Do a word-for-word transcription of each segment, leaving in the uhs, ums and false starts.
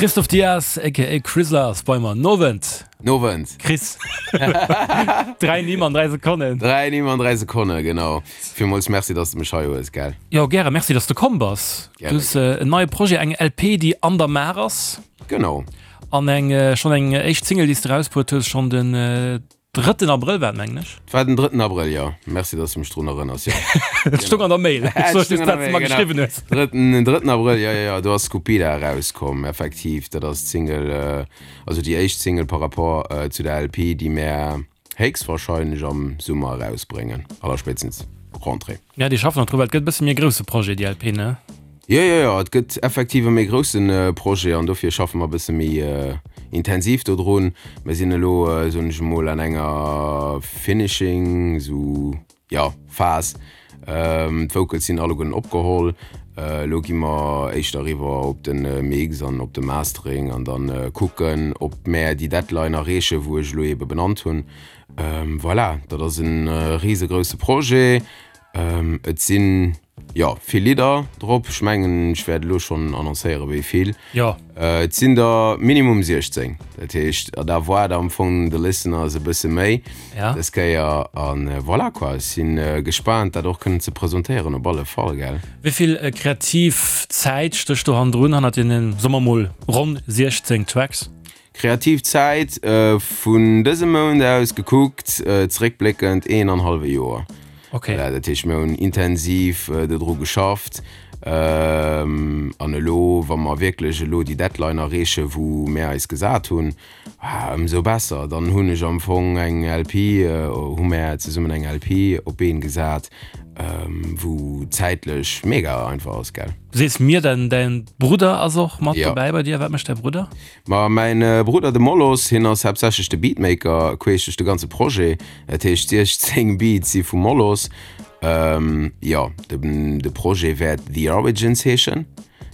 Christophe Dias aka Crizzler ass bei mer. Nowend. Nowend. Chris. Dräi Nimm an dräi Sekonnen. Dräi Nimm an dräi Sekonne, genau. Villmools Merci, dass de mech hei hues, gell. Jo, gäre. Merci, dass de komm bass. Du hues en neie Projet, eng L P, déi an der Maach ass. Genau. An eng schonn eng éischt Single, déi s de erausbruet hues, schonn den drëtten Abrëll war et, mengen ech. Et war den drëtten Abrëll, jo. Merci, dass de mech drun erënners, jo. Et stoung an der Mail. Ech sot just, wat s de mer geschriwwen hues. Drëtten, drëtten Abrëll, jo, jo, jo. Do ass Skupida erauskomm, effektiv. Dat ass d'Single, also déi éischt Single par rapport zu der L P, déi mär héchstwahrscheinlech am Summer erausbréngen, allerspéitstens Rentrée. Ja, déi schaffen nach dru, well et gëtt e bësse méi e grousse Projet, déi L P, ne? Jo, jo, jo, et gëtt effektiv e méi grousse Projet an dofir schaffe mer e bësse méi intensiv dodrun. Mir sinn elo, soen ech emol, an enger Finishing, esou, jo, Phas. D'Vocals sinn alleguerten opgeholl. Elo gi mer éischter eriwwer op de Mix an op de Mastering an da kucken, ob mär déi Deadline erreechen, wou ech elo eebe benannt hunn. Voilà, dat ass e risegrousse Projet. Et sinn, jo, vill Lidder drop. Ech mengen, ech wäert elo schonn annoncéieren, wéi vill. Jo. Et sinn der minimum siechzéng. Dat heescht, da erwaart am Fong de Listeners e bësse méi Ja. dës Kéier. An voilà quoi, ech si gespaant, dat och kënnen ze presentéieren op alle Fall, gell. Wéi vill kreativ Zäit stécht do hannendrun, hannert deenen, soe mer mol, ronn siechzéng Tracks? Kreativ Zäit, vun dësem Mount aus gekuckt, zeréckbléckend een an hallwe Joer. Okay. Voilà, dat heescht, mir hunn intensiv dodru geschafft. An elo, wa mer wierklech elo déi Deadline erreechen, wou mär eis gesat hunn, ëmsou besser. Dann hunn ech am Fong eng L P, hu mär zesummen eng L P op d'Been gesat, wou zäitlech mega einfach ass, gell. Du sees mir, däin, däin Brudder ass och mat Ja. dobäi bei dir. Wat mécht däi Brudder? Ma mäin Brudder, de Molos, hien ass haaptsächlech de Beatmaker queesch duerch de ganze Projet. Dat heescht, siechzéng Beats si vum Molos. Jo, de Projet wäert The Origins heeschen,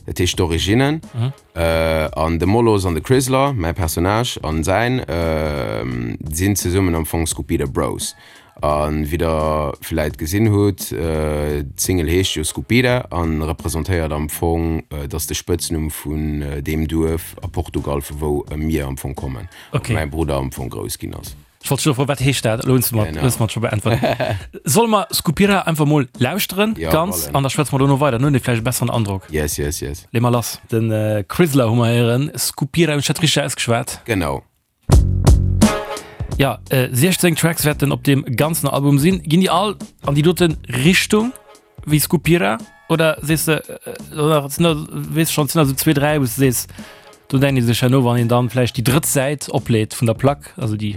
dat heescht d'Originnen. An de Molos an de Crizzler, mäi Personnage an säin, sinn zesummen am Fong Skupida Bros. A wéi der vläit gesinn hutt, d'Single heescht jo Skupida a representéiert am Fong, dat ass de Spëtznumm vun deem Duerf a Portugal, vu wou mir am Fong kommen, Okay. wou mäi Brudder am Fong grouss ginn ass. Ech wollt scho froen, wat heescht dat? Elo hues du mer Genau. hues du mer et scho beäntwert. Solle mer Skupira einfach mol lauschteren, Ja, ganz, wollen. an da schwätze mer dono weider, dann hunn mir vläicht e besseren Androck. Yes, yes, yes. Lee mer lass. Den Crizzler hu mer héieren, Skupira, hunn ech dat richteg ausgeschwat? Genau. Ja, siechzéng Tracks wäerten op deem ganzen Album sinn. Ginn déi all an déi dote Richtung wéi Skupira oder sees de, oder sinn der, weess schonn, sinn der sou zwee, dräi, wou s de sees, do denkt ee sech herno, wann een dann vläicht déi drëtt Säit opleet vun der Plack, also déi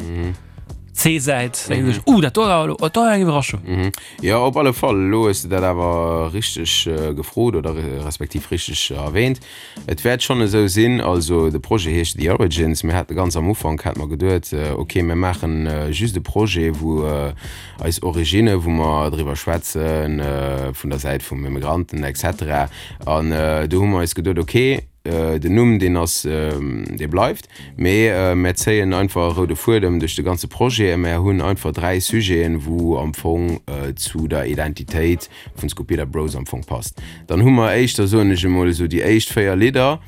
C-Säit, denkt ee sech, uh, dat do war elo, dat war eng Iwwerraschung. Jo, op alle Fall. Elo hues de dat awer richteg gefrot oder respektiv richteg erwähnt. Et wäert schonn esou sinn, also de Projet heescht The Origins. Mir hate ganz am Ufank hate mer geduet, okay, mir maachen just e Projet, wou eis Originne, wou mer driwwer schwätzen, vun der Säit vum Immigranten et cetera. An do hu mer eis geduet, okay, den Numm deen ass, dee bleift, mee mär zéien einfach e roude Fuedem duerch de ganze Projet a mär hunn einfach dräi Sujeten, wou am Fong zu der Identitéit vun Skupida Bros am Fong passt. Dann hu mer éischter, soen ech emol esou, déi éischt véier Lidder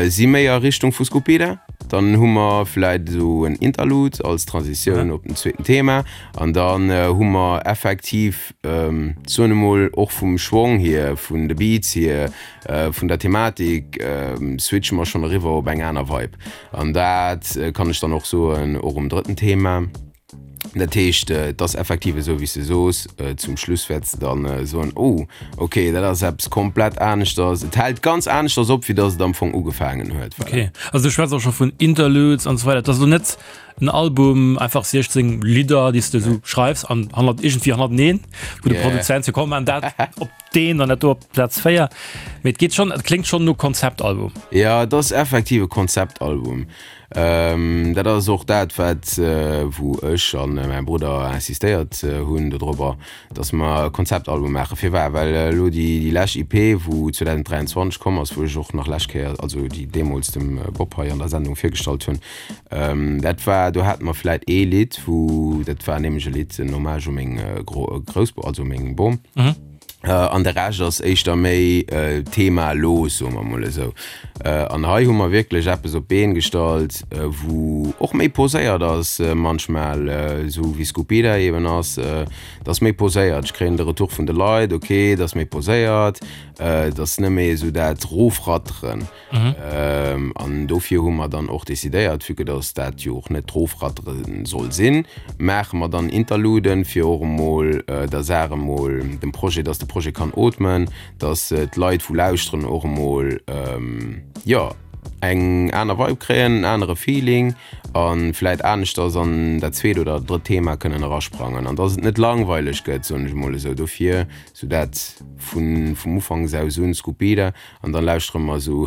si méi a Richtung vu Skupida. Dann hu mer vläit esou en Interlude als Transitioun op den zweeten Thema an dann hu mer effektiv, soen emol, och vum Schwong hier, vun de Beats hier, vun der Thematik, switche mer schonn eriwwer op eng aner Vibe. An dat kann ech dann och soen, och um drëtten Thema. Dat heescht, et ass effektiv esou, wéi s de soos, zum Schluss wäerts de dann soen, oh, okay, dat ass eppes komplett aneschters. Et hält ganz aneschters op, wéi datt et am Fong ugefaangen huet. Voilà. Okay, also du schwätz och scho vun Interludes an esou weider. Et ass elo net en Album, einfach siechzéng Lidder, déi s de esou schreifs an hannert iergendwéi hannerteneen, wou de Produzent seet, komm, maan dat op deen an dat do op Plaz véier. Mee et geet schonn, et kléngt schonn no Konzeptalbum. Jo, et ass effektiv e Konzeptalbum. Dat ass och dat, wat, wou ech a mäi Brudder insistéiert hunn dodrobber, datt mer e Konzeptalbum maachen. Firwat? Well elo déi, déi lescht E P, wou zweedausendräianzwanzeg komm ass, wou ech och nach lescht Kéier, also déi deemools dem Bob hei an der Sendung virgestallt hunn, dat war, do hate mer vläit ee Lidd, wou, dat war nämlech e Lidd, en Hommage u meng Grouss, also meng Bom. An de Rescht ass éischter méi themalos, soe mer emol esou. An hei hu mer wierklech eppes op d'Been gestallt, wou och méi poséiert ass manchmal, esou wéi Skupida eben ass. Et ass méi poséiert. Ech kréien de Retour vun de Leit, ok, et ass méi poséiert, et ass net méi esou dat Rofratteren. An dofir hu mer dann och decidéiert, vue que dass dat jo och net d'Rofrattere soll sinn, maache mer dann Interluden, fir och emol der Saach emol, dem Projet, dass de Projet kann ootmen, dass d'Leit, wou lauschteren, och emol, jo, eng aner Vibe kréien, en anere Feeling a vläit aneschters an dat zweet oder drëtt Thema kënnen erasprangen an dass et net langweileg gëtt, soen ech emol esou. Dofir sou dat vun vum Ufanks aus un, Skupida, an dann lauschtere mer esou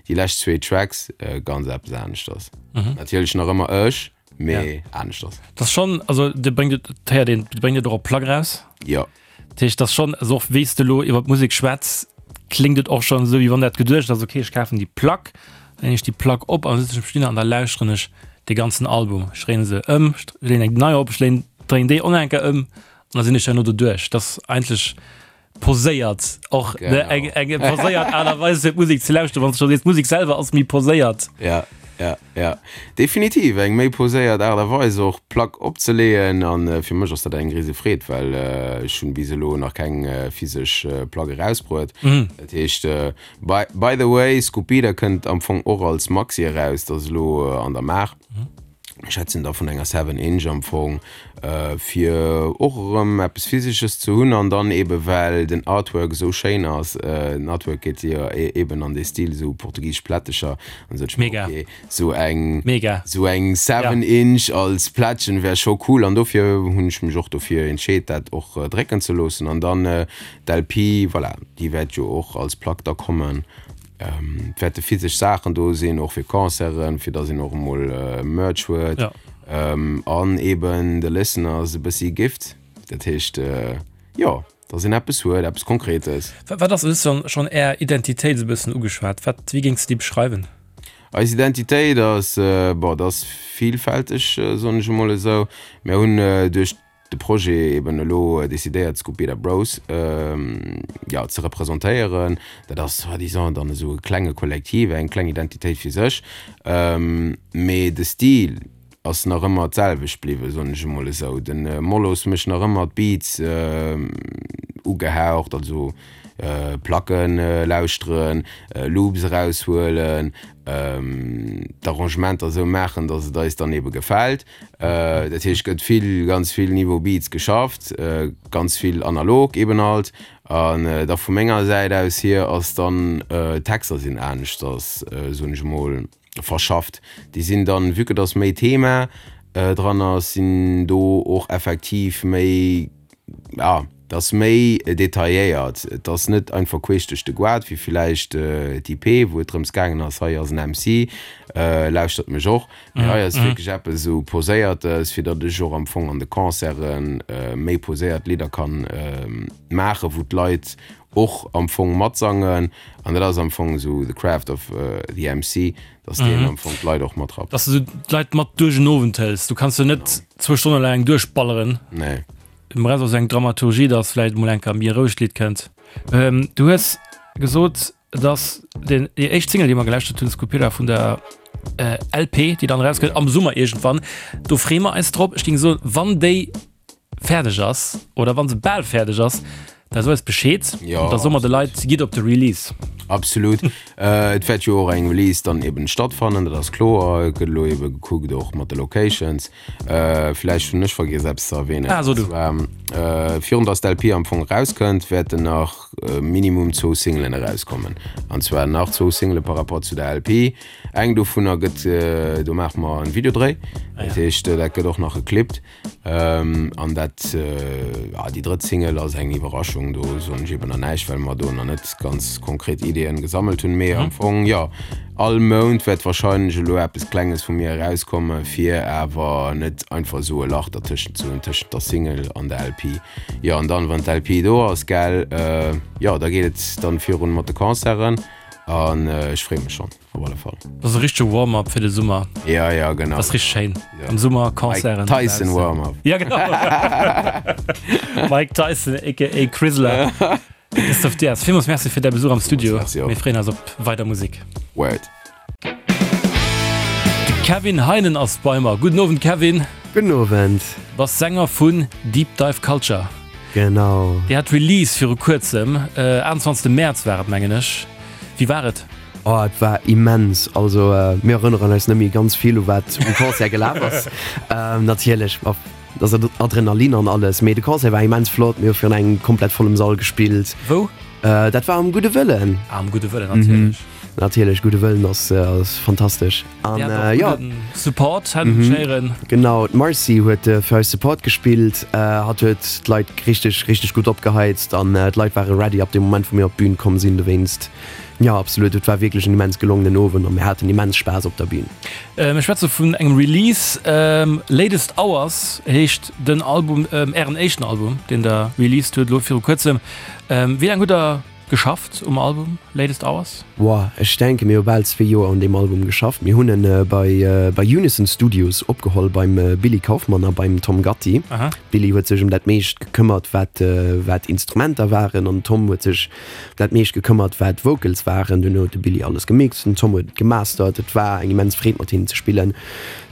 déi lescht zwee Tracks, ganz eppes aneschters. Natierlech nach ëmmer ech, mee aneschters. Dat ass schonn, also Dir bréngt et, et héiert een, Dir bréngt et och op Plack eraus. Jo. Dat heescht, dat ass schonn, also och wéi s de elo iwwer d'Musek schwätz, kléngt et och schonn esou, wéi wann dat geduecht ass, okay, ech kafen déi Plack, dann leen ech déi Plack op an da sëtzen ech am Studio an da lauschteren ech dee ganzen Album. Ech dréinen se ëm, ech leen eng nei op, ech leen, dréinen déi och nach eng Kéier ëm an da sinn ech herno doduerch. Dat ass eigentlech poséiert och, ne, eng, eng poséiert Aart a Weis fir d'Musek ze lauschteren, wann s de scho sees, d'Musek selwer ass méi poséiert. Ja, ja, ja, definitiv eng méi poséiert Aart a Weis och d'Plack opzeleeën an fir mech ass dat eng rise Freed, well ech hunn bis elo nach keng physesch Plack erausbruet. Dat heescht, by, by the way, Skupida kënnt am Fong och als Maxi eraus, dat ass elo an der Maach. Ech schwätzen da vun enger Seven Inch am Fong, fir och erëm eppes Physesches ze hunn an dann eebe well den Artwork esou schéin ass, den Artwork geet jo eeben an dee Stil esou portugisesch Plättecher an esou, Mega. Okay, esou eng, Mega. esou eng Seven Inch als Plättchen wär scho cool an dofir hunn ech mech och dofir entscheet dat och drécken ze loossen an dann d'L P, voilà, déi wäert jo och als Plack da kommen. Et wäerte physesch Saachen do sinn, och fir Concerten, fir dass een och emol Merch huet. Ja. An eben de Listeners e bëssi Gift. Dat heescht, jo, dass een eppes huet, eppes Konkretes. Wat ass, du hues schonn Är Identitéit esou e bëssen ugeschwat, wat, wéi géings de déi beschreiwen? Eis Identitéit ass, bon, dat ass villfälteg, soen ech emol esou. Mir hunn duerch de Projet eben elo decidéiert d'Scupida Bros jo ze representéieren. Dat ass soi-disant dann esou e klenge Kollektiv, eng kleng Identitéit fir sech. Mee de Stil ass nach ëmmer d'selwecht bliwwen, soen ech emol esou. De Mollos mécht nach ëmmer d'Beats ugehaucht, also Placken lauschteren, Loops eraushuelen, d'Arrangementer esou maachen, datt et eis dann ebe gefält. Dat heescht, gëtt vill, ganz vill Niveau Beats geschafft, ganz vill analog eben halt. An da vu menger Säit aus hier ass dann, d'Texter sinn aneschters, soen ech emol, verschafft. Déi sinn dann, vue que datt méi Thema dran ass, sinn do och effektiv méi, ja, et ass méi detailléiert. Et ass net einfach queesch duerch de Goart, wéi villäicht d'I P, wou et drëms gaangen ass, hei ass en M C, lauschtert mech och. Mee hei ass wierklech eppes esou Poséiertes, fir datt ech och am Fong an de Concerte méi poséiert Lidder kann maachen, wou d'Leit och am Fong matsangen. An dat ass am Fong esou the craft of the M C, datt deen am Fong d'Leit och matrappt. Datt s du d'Leit mat duerch en Owend hëls. Du kanns jo net zwou Stonne laang duerchballeren. Nee. Du brauchs och eng Dramaturgie, dass vläicht mol eng Kéier méi rouegt Lidd kënnt. Ähm, du hues gesot, dass den, déi éischt Single, déi mer gelauschtert hunn, Skupira vun der äh, L P, déi dann rauskënnt am Summer iergendwann, do freeë mer eis drop. Ech géing soen, wann déi fäerdeg ass oder wann se bal fäerdeg ass, da so eis Bescheed. Ja, da soe mer de Leit, gitt op de Release. Absolut. äh, et wäert jo och eng Release dann eben stattfannen, dat ass kloer. Et gëtt elo ebe gekuckt och mat de Locations. Äh, vläicht hunn ech vergiess eppes ze erwähnen. Ah, so du. Und zwar, äh, virun dass d'L P am Fong erauskënnt, wäerten nach äh, Minimum zwou Singlen erauskommen. An zwar nach zwou Single par rapport zu der L P. Eng dovunner gëtt, äh, do maache mer en Videodréi. Ah, ja. Dat heescht, äh, dat gëtt och nach geclippt. Ähm, an dat, äh, ja, déi drëtt Single ass eng Iwwerraschung, do soen ech eben nach näischt, well mer do nach net ganz konkret Ideeën gesammelt hunn. Mee am Fong, ja, all Mount wäert wahrscheinlech elo eppes Klenges vu mir erauskommen, fir awer net einfach esou e Lach dertëschent ze hunn, tëschent der Single an der L P. Jo, an dann, wann d'L P do ass, gell, äh, jo, da geet et dann virun mat de Concerten. An ech freeë mech schonn, op alle Fall. Dat ass e richtege Warm-up fir de Summer. Ja, ja, genau. Dat ass richteg schéin. Ja. Am Summer Concerten. Mike Tyson Warm-up. Ja, genau. Mike Tyson aka Crizzler. Christophe Dias, villmools Merci fir däi Besuch am Studio. Merci och. Mir freeën eis op weider Musek. Word. De Kevin Heinen ass bei mer. Gudden Owend, Kevin. Gudden Owend. Du bass Sänger vun Deep Dive Culture. Genau. Dir hat Release viru kuerzem, achtenzwanzegste Mäerz war et mengen ech. Wéi war et? Oh et war immens, also mir erënneren eis net méi ganz vill u wat um Concert gelaf ass. Natierlech ass et Adrenalin an alles, mee de Concert war immens flott, mir hu virun engem komplett vollem Sall gespillt. Wou? Dat war am Gudde Wëllen. Ah, am Gudde Wëllen, natierlech. Natierlech, Gudde Wëllen ass fantastesch. An jo. Support hat ech héieren. Genau, d'Marcy huet fir eis Support gespillt. Hatt huet d'Leit richteg, richteg gutt opgeheizt an d'Leit ware ready ab dem Moment, wou mir op d'Bün komm sinn. Dowéinst, jo, absolut, et war wierklech en immens gelongenen Owend a mir haten immens Spaass op der Bün. Mir schwätze vun engem Release, Latest Hours heescht den Album, Ären éischten Album, deen Der released hutt elo viru kuerzem. Wéi laang hutt Der Geschafft um Album Latest Hours? Woah, ech denke mir hu bal zwee Joer un deem Album geschafft. Mir hunn en bei bei Unison Studios opgeholl beim Billy Kaufmann a beim Tom Gatti. Aha. Billy huet sech ëm dat meescht gekëmmert wat wat Instrumenter waren an den Tom huet sech ëm dat meescht gekëmmert wat Vocals waren. Duerno huet de Billy alles gemixt, den Tom huet et gemastert. Et war eng immens Freed mat hinnen ze spillen.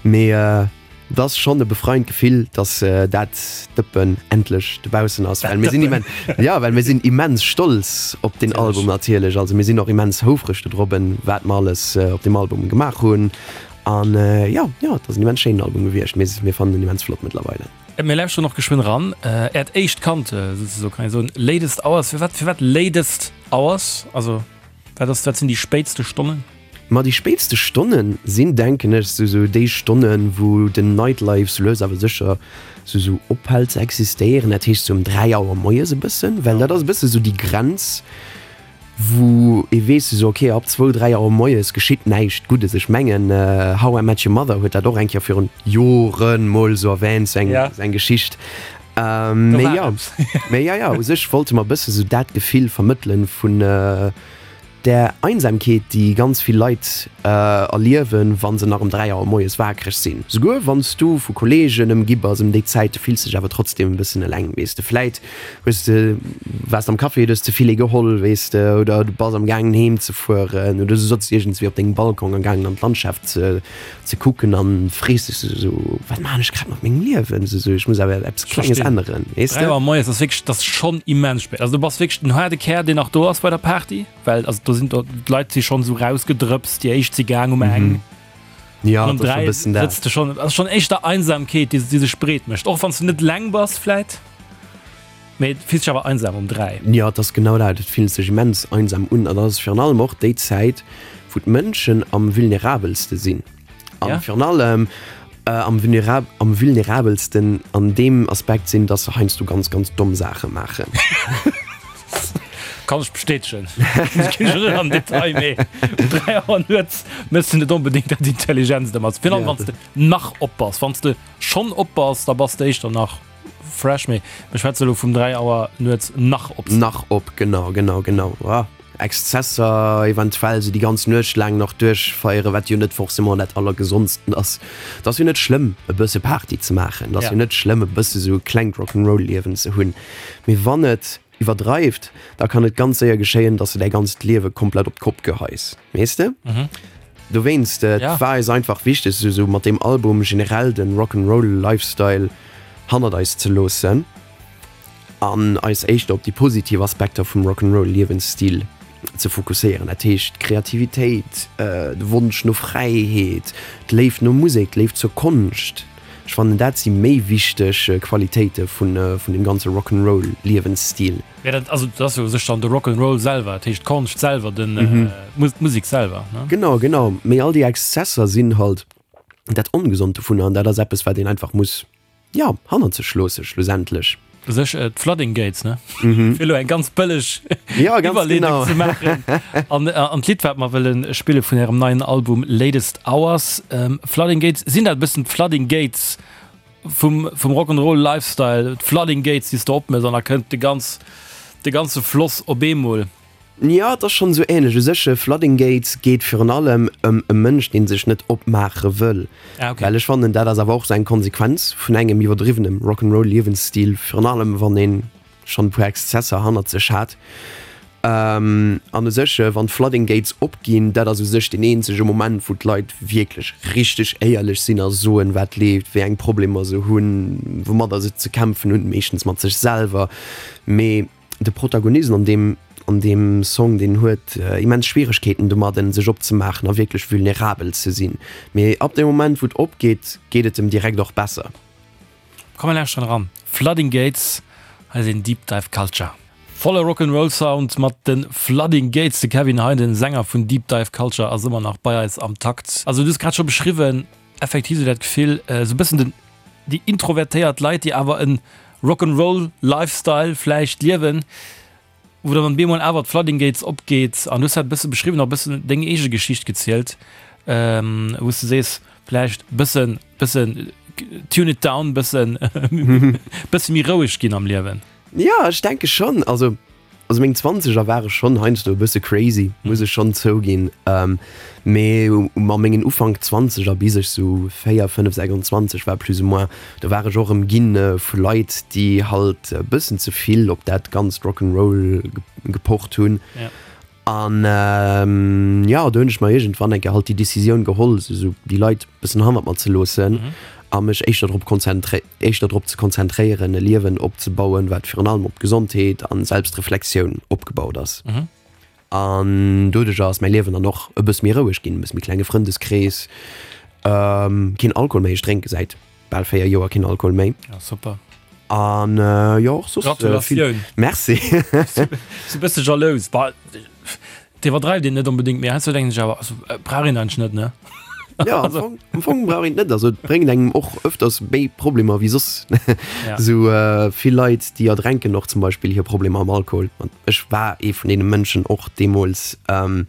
Mee Et ass schonn e befreiend Gefill, dass dat Dëppen endlech dobaussen ass, well mir sinn immen, jo, well mir sinn immens stolz op deen Album natierlech. Also mir sinn och immens houfreg dodrobben, wat mer alles op deem Album gemaach hunn. An jo, jo, et ass en immens schéinen Album gewiescht. Mir, mir fannen en immens flott mëttlerweile. Mir lauschteren och geschwënn eran. Äert éischt Kand, souzesoe kann ee soen, Latest Hours. Firwat, firwat Latest Hours? Also wat ass, wat sinn déi spéitste Stonnen? Ma déi spéitste Stonne sinn, denken ech, sou sou déi Stonnen, wou den Nightlife sou lues awer sécher sou sou ophält ze existéieren. Dat heescht sou ëm dräi Auer moies e bëssen, well dat ass e bësse sou déi Grenz, wou ee weess sou, okay, ab zwou, dräi Auer moies geschitt näischt Guddes. Ech mengen, How I Met Your Mother huet dat och eng Kéier virun Joren mol sou erwähnt, sou eng sou eng Geschicht. Mee jo, mee jo, jo, u sech wollte mer e bësse sou dat Gefill vermëttelen vun, Där Einsamkeet, déi ganz vill Leit erliewen, wa se nach ëm dräi Auer moies wakereg sinn. Souguer wann s du vu Kolleegen ëmgi bass ëm déi Zäit, du fills dech awer trotzdeem e bëssen eleng, weess de. Vläit hues de, waars de am Café, du hues ze vill ee geholl, weess de, oder du bass am gaangen heem ze fueren oder du sotz iergendswéi op dengem Balcon am gaangen an d'Landschaft ze ze kucken an frees dech esou, wat maachen ech grad mat mengem Liewen, esou, ech muss awer eppes Klenges änneren, weess de. Dräi Auer moies ass wierklech, dat ass schonn immens spéit. Also du bass wierklech den haarde Kär, deen nach do ass bei der Party. Well also do sinn do d'Leit si schonn esou rausgedrëpst, déi éischt si gaang um eng. Ja, An um dat ass schon dräi e bëssen dat. sëtz de schonn. Ass schonn éischter Einsamkeet, déi déi sech breet mécht. Och wann s du net eleng bass vläit, mee et fills dech awer einsam um dräi. Ja, et ass genau dat. Et fillt sech immens einsam un. An dat ass virun allem och déi Zäit, wou d'Mënschen am vulnerabelste sinn. An Ja. virun allem am vulnerab am vulnerabelsten an deem Aspekt sinn, dass se heiansdo ganz, ganz domm Saache maachen. Kann ech bestätegen. Ech ginn elo net an den Detail, mee um dräi Auer nuets méchs de net onbedéngt dat Intelligentste mat. Virun allem, wann s de nach op bass. Wann s de schonn op bass, da bass de éischter nach fresh, mee mir schwätze elo vum dräi Auer nuets nach op sinn. Nach op, genau, genau, genau. Ah, Exzesser eventuell, sou déi ganz Nuecht laang nach duerchfeieren, wat jo net forcément dat Allergesondsten ass. Et ass jo net schlëmm, e bësse Party ze maachen. Et ass jo net schlëmm, e bësse sou e klengt Rock'n'Roll-Liewen ze hunn. Mee wann et iwwerdreift, da kann et ganz séier geschéien, dass de däi ganzt Liewe komplett op d'Kopp geheis, weess de? Dowéinst, et war eis einfach wichteg, sou sou mat deem Album generell den Rock'n'Roll Lifestyle hannert eis ze loossen an eis éischter op déi positiv Aspekter vum Rock'n'Roll Liewensstil ze fokusséieren. Dat heescht d'Kreativitéit, de Wonsch no Fräiheet, d'Léift no Musek, d'Léift zur Konscht. Ech fannen dat si méi wichteg Qualitéite vun vun dem ganze Rock'n'Roll Liewensstil. Ja dat also dat ass jo u sech dann de Rock'n'Roll selwer, dat heescht d'Konscht selwer, den d'Musek selwer ne? Genau, genau. Mee all déi Exzesser sinn halt dat Ongesond dovunner an dat ass eppes wat een einfach muss, jo, hannert sech loosse schlussendlech. U sech d'Flooding Gates, ne? Fir elo eng ganz bëlleg Ja, ganz Iwwerleedung genau. ze maachen. An an d'Lidd, wat mer wëlle spille vun ärem neien Album Latest Hours, Flooding Gates, sinn dat e bëssen d'Flooding Gates vum vum Rock'n'Roll Lifestyle, d'Flooding Gates, déi s de opmëss an da kënnt de ganz de ganze Floss op eemol? Jo, et ass schonn esou änlech. U sech, Flooding Gates geet virun allem ëm e Mënsch, dee sech net opmaache wëll. Ah, okay. Well ech fannen, dat ass awer och esou eng Konsequenz vun engem iwwerdriwwenem Rock'n'Roll-Liewensstil, virun allem wann ee schonn e puer Exzesser hannert sech hat. An u sech, wann d'Flooding Gates opginn, dat ass u sech deen eenzege Moment, wou d'Leit wierklech richteg éierlech sinn a soen, wat leeft, wéi eng Problemer se hunn, woumadder se ze kämpfen hunn, meeschtens mat sech selwer. Mee De Protagonist an deem an deem Song, deen huet immens Schwieregkeeten domadden, sech opzemaachen a wierklech vulnerabel ze sinn. Mee ab dem Moment, wou et opgeet, geet et em direkt och besser. Komm mir lauschteren eran. Flooding Gates, hei sinn Deep Dive Culture. Volle Rock'n'Roll Sound mat de Flooding Gates. De Kevin Hein, den Sänger vun Deep Dive Culture ass ëmmer nach bei eis am Takt. Also du hues grad scho beschriwwen, effektiv sou dat Gefill, sou bëssen den déi introvertéiert Leit, déi awer en Rock'n'Roll Lifestyle vläicht liewen, wou dann op eemol awer d'Flooding Gates opgeet an du hues dat e bësse beschriwwen, och e bëssen deng eege Geschicht gezielt, wou s de sees, vläicht bëssen, bëssen tune it down, bëssen, bësse méi roueg ginn am Liewen. Jo, ech denke schonn. Also Also meng Zwanzeger ware schonn heiansdo e bësse crazy, muss ech schonn zouginn. Mee a mengen Ufank Zwanzeger, bis ech sou véier, fënnef, sechsundzwanzeg war plus ou moins, do war ech och ëmginn vu Leit, déi halt e bëssen ze vill op dat ganzt Rock'n'Roll gepocht hunn. An jo, do hunn ech mer iergendwann eng Kéier halt déi Decisioun geholl, sou déi Leit e bëssen hannert mer ze loossen. A mech éischter drop konzentré éischter drop ze konzentréieren, e Liewen opzebauen, wat virun allem op Gesondheet an Selbstreflexioun opgebaut ass. An doduercher ass mäi Liewen dann och e bësse méi roueg ginn, e bësse méi klenge Frëndeskrees, keen Alkohol méi, ech drénke säit bal véier Joer keen Alkohol méi. Ja, super. An jo, och soss vill. Gratulatioun. Merci. Si bësse jalous. Bah, et iwwerdreift een net onbedéngt, mee heiansdo denken ech awer, also brauch een eigentlech net, ne? Ja, am Fong, am Fong brauch een et net. Also et bréngt engem och öfters méi Problemer wéi soss. Ja. Sou äh, vill Leit, déi erdränken och zum Beispill hir Problemer am Alkohol. An ech war ee vun deene Mënschen och deemools. Ähm,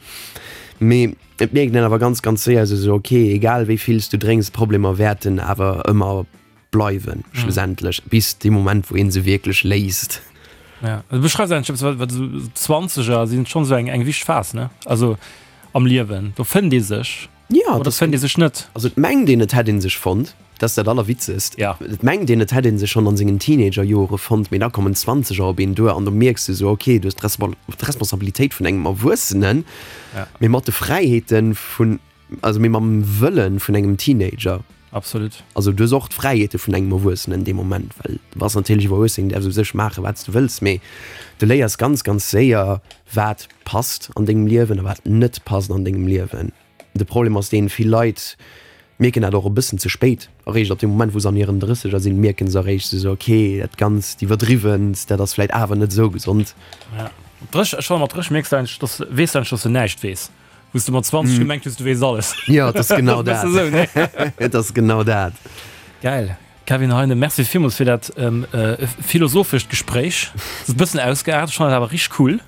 mee et mierkt een awer ganz, ganz séier sou, sou okay, egal wéi vill s du drénks, d'Problemer wäerten awer ëmmer bleiwen, schlussendlech, bis dee Moment, wou ee se wierklech léist. Ja, du beschreifs eigentlech eppes, wat, wat esou d'Zwanzeger sinn schonn esou eng, eng wichteg Phas, ne? Also am Liewen, do fënnt ee sech. Ja, oder fënnt ee sech net. Also et mengt een, et hätt ee sech fonnt, dat ass dat Allerwitzegst. Ja. Et mengt een, et hätt ee sech schonn an sengen Teenagerjore fonnt, mee da kommen d'Zwanzeger op een duer an do mierks de sou, okay, du hues d'Responsabilitéit vun engem Erwuessenen, Ja. mee mat de Fräiheete vun, also mee mam Wëlle vun engem Teenager. Absolut. Also du hues och d'Fräiheete vun engem Erwuessenen dee Moment, well du bass natierlech Erwuessen, däerfs u sech maachen, wat s du wëlls, mee du léiers ganz, ganz séier, wat passt an dengem Liewen a wat net passt an dengem Liewen. De Problem ass deen, vill Leit mierken dat och e bëssen ze spéit. Eréischt ab deem Moment, wou se an hiren Drësseger sinn, mierken se eréischt esou, ok, dat Ganzt iwwerdriwwent, dat ass vläit awer net esou gesond. Ja, mat drësseg, ech fannen mat drësseg mierks du eigentlech, dass, weess du eigentlech, dass du näischt weess. Wou s du mat zwanzeg gemengt hues, du weess alles. Jo, et ass genau Dat dat. ass esou, ne? Et ass genau dat. Geil. Kevin Heinen, Merci villmools fir dat philosophescht Gespréich. Et ass e bëssen ausgeaart, ech fannen et awer richteg cool.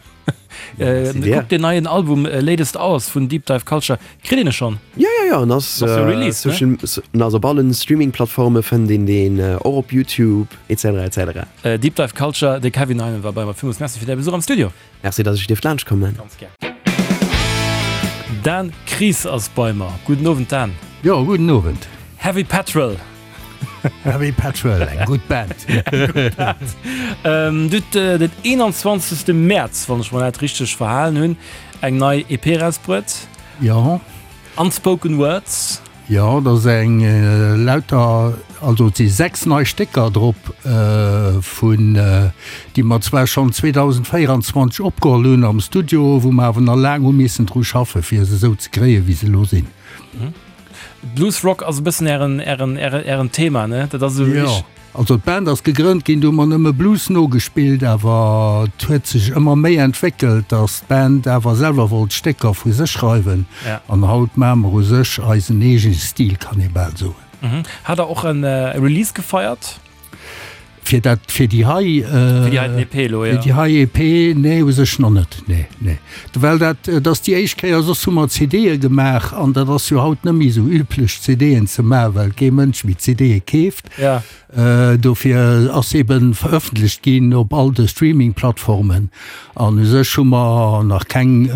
Kuckt deen neien Album Latest Hours vun Deep Dive Culture. Kritt een e schonn? Jo, jo, jo, en ass Ass jo released, ne? Social, en ass op allen Streaming-Plattforme fënnt een deen, och op YouTube, etc. Etc. Deep Dive Culture, de Kevin Heinen war bei mer. Villmools Merci fir däi Besuch am Studio. Merci, dass ech dierft laanscht kommen. Ganz gär. Dan Kries ass bei mer. Gudden Owend, Dan. Jo, gudden Owend. Heavy Petrol. Heavy Petrol, eng gutt Band. Eng gutt Band. Du hutt den eenanzwanzegste Mäerz, wann ech mer dat richteg verhalen hunn, eng nei E P erausbruet. Jo. Unspoken Words. Jo, dat ass eng lauter, also et si sechs nei Stécker drop, vun déi mer zwar schonn zweedausendvéieranzwanzeg opgeholl hunn am Studio, wou mer awer nach laang hu missen dru schaffen, fir se esou ze kréien, wéi se elo sinn. Blues Rock ass e bëssen ären, ären, ären, ären Thema, ne? Dat ass esou Jo, richteg. also d'Band ass gegrënnt ginn, do hu mer nëmme Blues nogespillt, awer et huet sech ëmmer méi entwéckelt, datt d'Band awer selwer wollt Stécker vu sech schreiwen. Ja. An haut maache mer u sech eisen eegene Stil, kann ee bal soen. Mhm. Hat der och en Release gefeiert? Fir dat, fir déi hei, Fir déi heiten EP elo, jo. Fir déi hei EP, nee, u sech nach net, nee, nee. Well dat, et ass déi éischt Kéier, soss hu mer CDe gemaach an dat ass jo haut net méi esou üblech, CDen ze maachen, well kee Mënsch méi CDe keeft. Ja. Dofir ass eben verëffentlecht ginn op all de Streaming-Plattformen an u sech hu mer nach keng,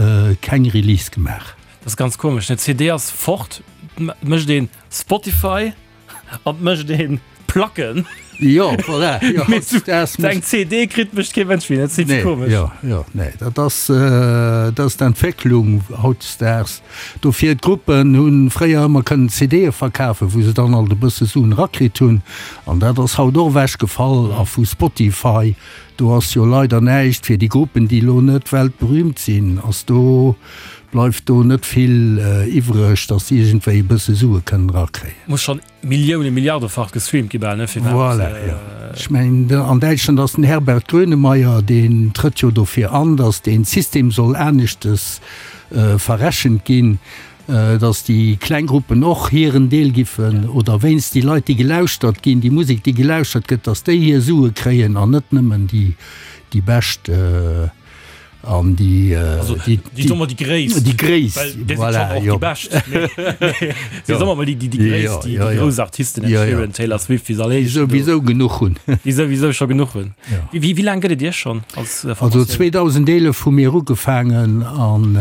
keng Release gemaach. Dat ass ganz komesch, ne? CD ass fort, et mécht een Spotify an et mécht een Placken. Jo, voilà, jo, Mee sou eng CD kritt mécht kee Mënsch méi, dat ass nee, komesch. Jo, jo, nee, dat ass, dat ass d'Entwécklung hautdesdaags. Dofir, d'Gruppen hu fréier ëmmer kënnen CDe verkafen, wou se dann alt e bësse Suen erakritt hunn. An dat ass haut och ewechgefall. A vu Spotify, do ass jo leider näischt fir déi Gruppen, déi elo net weltberühmt sinn, ass do, bleift do net vill iwwreg, dass se iergendwéi e bësse Sue kënnen erakréien. Muss schonn Millioune, Milliardefach gestreamt gi bal, ne, fir Voilà, jo. Ech mengen, an Däitschland ass den Herbert Grönemeyer, deen trëtt jo dofir an, dass dee System soll aneschtes verrechent ginn, dass déi kleng Gruppen och hiren Deel giffen, oder wéinst déi Leit, déi gelauschtert ginn, déi Musek, déi gelauschtert gëtt, dass déi hir Sue kréien an net nëmmen déi, déi bescht. An déi, also, déi, déi, soen mer déi gréisst, déi gréisst, well déi voilà, sinn schon och jo. déi bescht, mee, mee soen mer mol déi, déi, déi gréisst, déi, déi grouss Artisten, Ed Sheeran, Taylor Swift, wéi se all Déi heeschen, do, souwisou genuch hunn. déi souwisou scho genuch hunn. Ja. Wéi, wéi laang gëtt et Iech schonn als Also Formatioun? zweedausendeelef hu mir ugefaangen an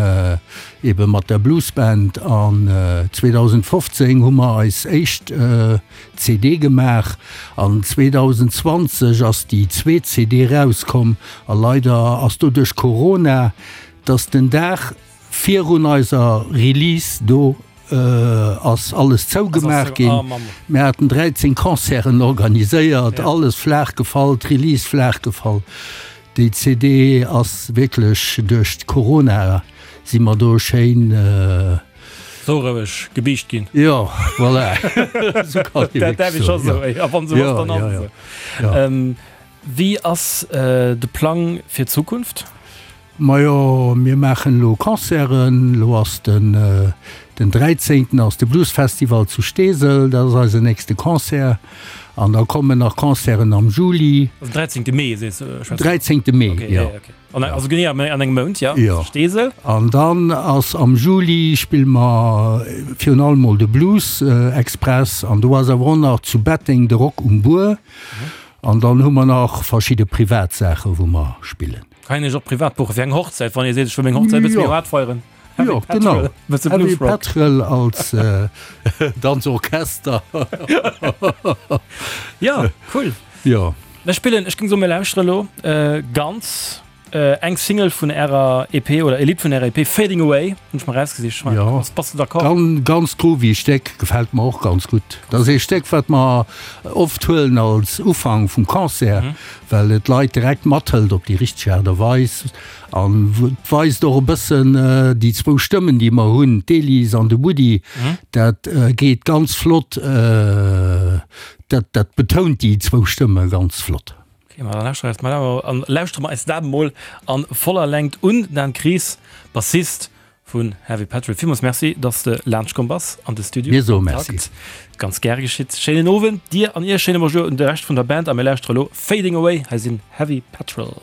ebe mat der Bluesband an zweedausendfofzéng hu mer eis éischt C D gemaach an zweedausendzwanzeg ass déi zweet C D erauskomm a leider ass do duerch Corona, dass den Dag virun eiser Release do ass alles zougemaach ginn. Mir haten dräizéng Concerten organiséiert, alles flaach gefall, d'Release flaach gefall. Déi C D ass wierklech duerch Corona si mer do schéin. Sou roueg gebiischt ginn. Jo, voilà. Sou kann ee Dat däerf wierklech ee scho soen, jo. soen. A wann esou ass, Jo, dann ass jo, et jo. esou. Jo. Ähm, wéi ass de Plang fir d'Zukunft? Majo, mir maachen elo Concerten. Elo ass den, den dräizéngten ass de Bluesfestival zu Steesel, dat ass eisen nächste Concert. An da kommen nach Concerten am Juli. Also dräizéngte Mee, sees du, schwätz du? Dräizéngte Mee, Okay, jo. ja, okay. An, also genee an engem Mount, ja, Jo. Steesel. An dann ass am Juli spille mer virun allem mol de Blues Express an do ass awer och nach zu Betteng de Rock um Buer. An dann hu mer nach verschidde privat Saache wou mer spillen. Kann een iech och privat buche fir eng Hochzäit, wann ee seet, ech wëll meng Hochzäit e bësse méi Jo. haart feieren? Heavy Jo, genau. Petrol, bësse Heavy Bluesrock. Petrol als Danzorchester. Ja, cool. Jo. Mir spillen, ech géing soen, mir lauschteren elo ganz eng Single vun ärer E P oder e Lidd vun ärer E P, Fading Away, hunn ech mer erausgesicht. Jo. Bass de d'accord? Ganz, ganz groovy Stéck, gefält mer och ganz gutt. Dat ass ee Stéck, wat mer oft huelen als Ufank vum Concert, well et d'Leit direkt mathëlt op déi richteg Aart a Weis an et weist och e bëssen déi zwou Stëmmen, déi mer hunn, d'Elise an de Woody, dat geet ganz flott, dat, dat betount déi zwou Stëmme ganz flott. Ok, ma dann lauschtere eis mal an lauschtere mer eis dat emol an voller Längt un. Dan Kries, Bassist vun Heavy Petrol, villmools Merci, dass de laanscht komm bass an de Studio. Mir soe Merci. Ganz gäre geschitt. Schéinen Owend dir an iech, schéine Bonjour un de Rescht vun der Band a mir lauschtere elo Fading Away. Hei sinn Heavy Petrol.